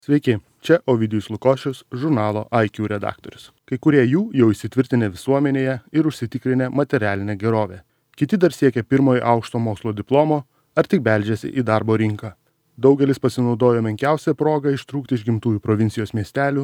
Sveiki, čia Ovidijus Lukošius, žurnalo IQ redaktorius. Kai kurie jų jau įsitvirtinę visuomenėje ir užsitikrinę materialinę gerovę. Kiti dar siekia pirmojo aukšto mokslo diplomo ar tik beldžiasi į darbo rinką. Daugelis pasinaudojo menkiausią progą ištrūkti iš gimtųjų provincijos miestelių,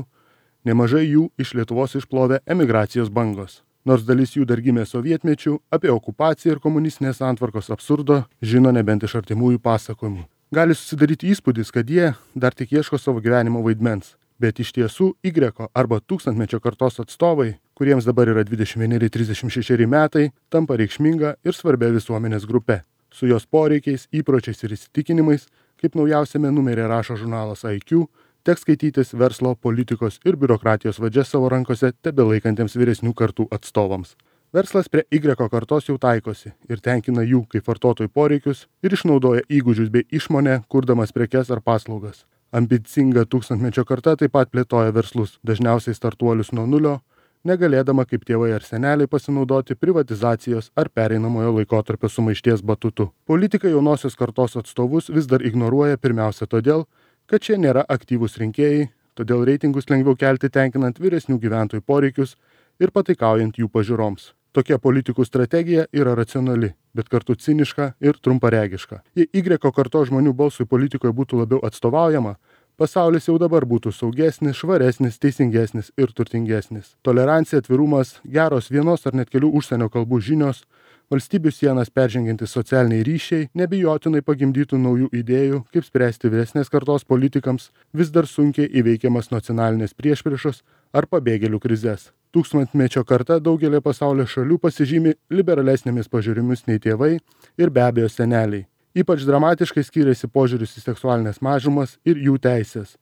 nemažai jų iš Lietuvos išplovė emigracijos bangos. Nors dalis jų dar gimė sovietmečių, apie okupaciją ir komunistinės santvarkos absurdo žino nebent iš artimųjų pasakojimų. Gali susidaryti įspūdis, kad jie dar tik ieško savo gyvenimo vaidmens, bet iš tiesų Y arba tūkstantmečio kartos atstovai, kuriems dabar yra 21-36 metai, tampa reikšminga ir svarbia visuomenės grupe. Su jos poreikiais, įpročiais ir įsitikinimais, kaip naujausiame numeryje rašo žurnalas IQ, teks skaitytis verslo, politikos ir biurokratijos vadžias savo rankose tebelaikantiems vyresnių kartų atstovams. Verslas prie Y kartos jau taikosi ir tenkina jų kaip vartotojų poreikius ir išnaudoja įgūdžius bei išmonę, kurdamas prekes ar paslaugas. Ambicinga tūkstantmečio karta taip pat plėtoja verslus, dažniausiai startuolius nuo nulio, negalėdama kaip tėvai ar seneliai pasinaudoti privatizacijos ar pereinamojo laikotarpio sumaišties batutu. Politikai jaunosios kartos atstovus vis dar ignoruoja pirmiausia todėl, kad šie nėra aktyvūs rinkėjai, todėl reitingus lengviau kelti tenkinant vyresnių gyventojų poreikius ir pataikaujant jų pažiūroms. Tokia politikų strategija yra racionali, bet kartu ciniška ir trumparegiška. Jei Y kartos žmonių balsui politikoje būtų labiau atstovaujama, pasaulis jau dabar būtų saugesnis, švaresnis, teisingesnis ir turtingesnis. Tolerancija, atvirumas, geros vienos ar net kelių užsienio kalbų žinios, valstybių sienas peržengiantys socialiniai ryšiai nebijotinai pagimdytų naujų idėjų, kaip spręsti vyresnės kartos politikams vis dar sunkiai įveikiamas nacionalinės priešpriešos ar pabėgėlių krizes. Tūkstantmečio karta daugelį pasaulio šalių pasižymi liberalesnėmis pažiūrimis nei tėvai ir be abejo seneliai. Ypač dramatiškai skiriasi požiūris į seksualinės mažumas ir jų teisės.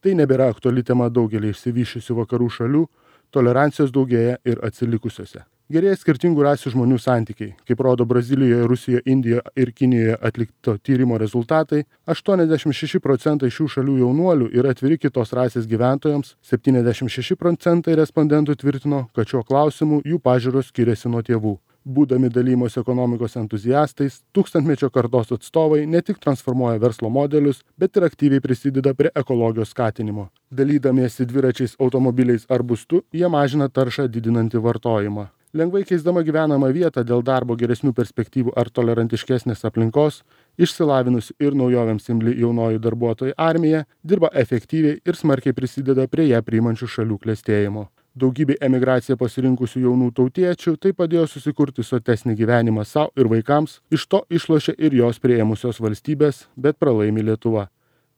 Tai nebėra aktuali tema daugelį išsivysčiusių vakarų šalių, tolerancijos daugėja ir atsilikusiose. Gerėja skirtingų rasių žmonių santykiai. Kaip rodo Brazilijoje, Rusijoje, Indijoje ir Kinijoje atlikto tyrimo rezultatai, 86% šių šalių jaunuolių yra atviri kitos rasės gyventojams, 76% respondentų tvirtino, kad šiuo klausimu jų pažiūros skiriasi nuo tėvų. Būdami dalymos ekonomikos entuziastais, tūkstantmečio kartos atstovai ne tik transformuoja verslo modelius, bet ir aktyviai prisideda prie ekologijos skatinimo. Dalydamiesi dviračiais, automobiliais ar būstu, jie mažina taršą didinantį vartojimą. Lengvai keisdama gyvenamą vietą dėl darbo geresnių perspektyvų ar tolerantiškesnės aplinkos, išsilavinusi ir naujovėms imli jaunoji darbuotojų armija dirba efektyviai ir smarkiai prisideda prie ją priimančių šalių klestėjimo. Daugybė emigraciją pasirinkusių jaunų tautiečių tai padėjo susikurti sotesnį gyvenimą savo ir vaikams, iš to išlošia ir jos priėmusios valstybės, bet pralaimi Lietuva.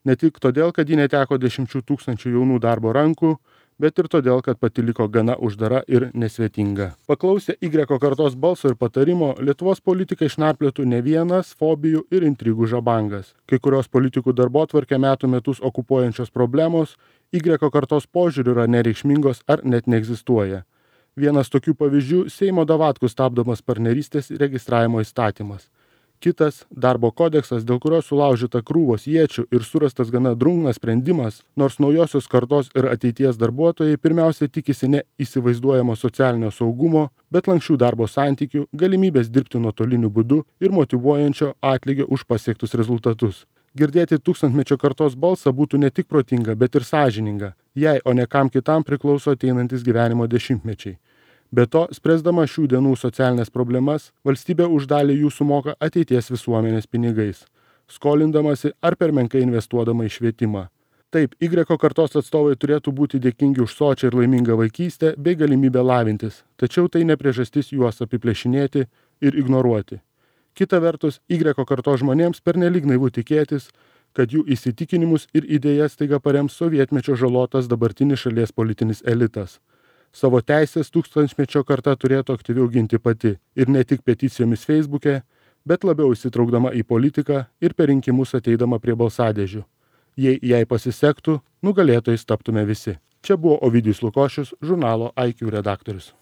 Ne tik todėl, kad ji neteko 10 000 jaunų darbo rankų, bet ir todėl, kad pati liko gana uždara ir nesvetinga. Paklausę Y kartos balso ir patarimo, Lietuvos politikai išnarplėtų ne vienas fobijų ir intrigų žabangas. Kai kurios politikų darbotvarkę metų metus okupuojančios problemos Y kartos požiūriu yra nereikšmingos ar net neegzistuoja. Vienas tokių pavyzdžių Seimo davatkų stabdomas partnerystės registravimo įstatymas. Kitas – darbo kodeksas, dėl kurio sulaužyta krūvos iečių ir surastas gana drungnas sprendimas, nors naujosios kartos ir ateities darbuotojai pirmiausia tikisi ne įsivaizduojamo socialinio saugumo, bet lanksčių darbo santykių, galimybės dirbti nuotoliniu būdu ir motyvuojančio atlygio už pasiektus rezultatus. Girdėti tūkstantmečio kartos balsą būtų ne tik protinga, bet ir sąžininga. Jai, o ne kam kitam priklauso ateinantis gyvenimo dešimtmečiai. Be to, spręsdama šių dienų socialinės problemas, valstybė už dalį jų sumoka ateities visuomenės pinigais, skolindamasi ar per menkai investuodama į švietimą. Taip, Y kartos atstovai turėtų būti dėkingi už sočią ir laimingą vaikystę bei galimybę lavintis, tačiau tai ne priežastis juos apiplėšinėti ir ignoruoti. Kita vertus, Y kartos žmonėms pernelyg naivu tikėtis, kad jų įsitikinimus ir idėjas staiga parems sovietmečio žalotas dabartinis šalies politinis elitas. Savo teisės tūkstantmečio karta turėtų aktyviau ginti pati ir ne tik peticijomis Facebook'e, bet labiau įsitraukdama į politiką ir per rinkimus ateidama prie balsadėžių. Jei jai pasisektų, nugalėtojais taptume visi. Čia buvo Ovidijus Lukošius, žurnalo IQ redaktorius.